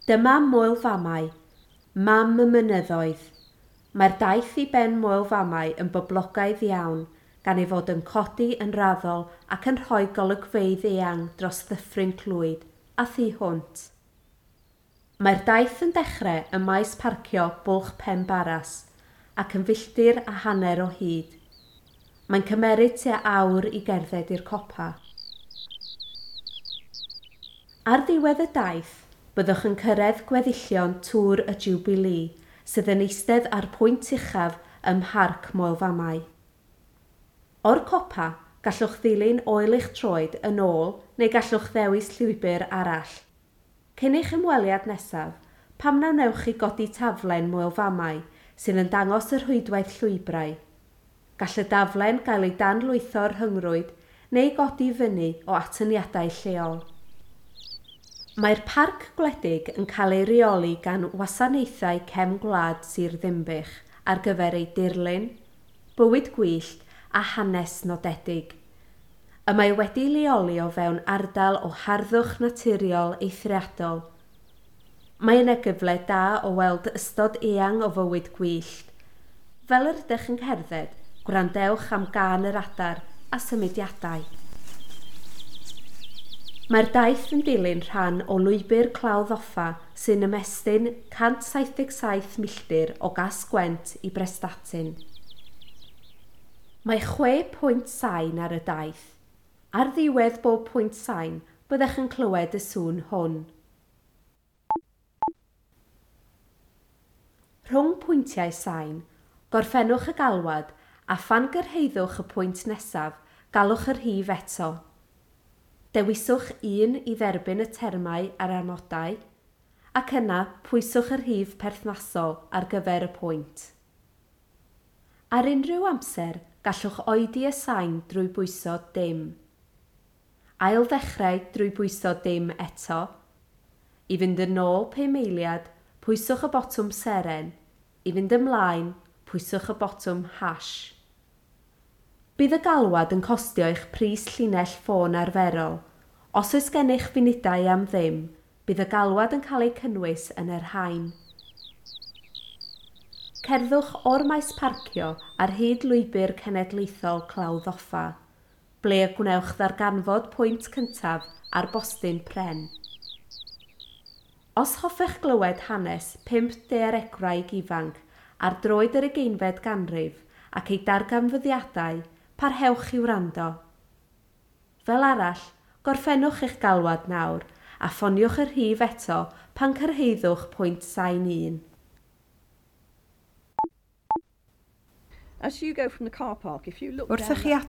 Dyma Moel Famau, mam y mynyddoedd. Mae'r daith i ben Moel Famau yn boblogaidd iawn gan ei fod yn codi yn raddol ac yn rhoi golygfeydd eang dros Ddyffryn Clwyd a thu hwnt. Mae'r daith yn dechrau ym maes parcio Bwlch Pen Barras ac yn filltir a hanner o hyd. Mae'n cymeryd tua awr i gerdded i'r copa. Ar ddiwedd y daith, byddwch yn cyrraedd gweddillion Tŵr y Jiwbilî sydd yn eistedd ar pwynt uchaf ym Mharc Moel Famau. O'r copa, gallwch ddilyn oel eich troed yn ôl neu gallwch ddewis llwybr arall. Cyn eich ymweliad nesaf, pam na wnewch chi godi taflen Moel Famau sydd yn dangos y rhwydwaith llwybrau? Gall y daflen gael ei danlwytho'r rhyngrwyd neu godi fyny o atyniadau lleol. Mae'r parc gwledig yn cael ei reoli gan wasanaethau cefn gwlad Sir Ddinbych ar gyfer ei dirlun, bywyd gwyllt a hanes nodedig. Y mae wedi leoli o fewn ardal o harddwch naturiol eithriadol. Mae yna gyfle da o weld ystod eang o fywyd gwyllt. Fel yr ydych yn cerdded, gwrandewch am gân yr adar a symudiadau. Mae'r daith yn dilyn rhan o lwybr Clawdd Offa sy'n ymestyn 177 milltir o Gas-gwent i Brestatyn. Mae chwe pwynt sain ar y daith. Ar ddiwedd bob pwynt sain, byddech yn clywed y sŵn hwn. Rhwng pwyntiau sain, gorffennwch y galwad a phan gyrhaeddwch y pwynt nesaf, galwch y rhif eto. Dewiswch un i dderbyn y termau a'r amodau, ac yna pwyswch y rhif perthnasol ar gyfer y pwynt. Ar unrhyw amser, gallwch oedi y sain drwy bwyso dim. Ail ddechrau drwy bwyso dim eto. I fynd yn ôl 5 eiliad, pwyswch y botwm seren. I fynd ymlaen, pwyswch y botwm hash. Bydd y galwad yn costio eich pris llinell ffôn arferol. Os oes gennych funudau am ddim, bydd y galwad yn cael ei cynnwys yn yr rhain. Cerddwch o'r maes parcio ar hyd lwybr cenedlaethol Clawdd Offa, ble y gwnewch ddarganfod pwynt cyntaf ar bostyn pren. Os hoffech glywed hanes pump daearegwraig ifanc ar droed yr ugeinfed ganrif ac ei darganfyddiadau, parhewch i wrando. Fel arall, gorffennwch eich galwad nawr a ffoniwch y rhif eto pan cyrhaeddwch pwynt sain un. As you go from the car park, if you look Wrth i down chi that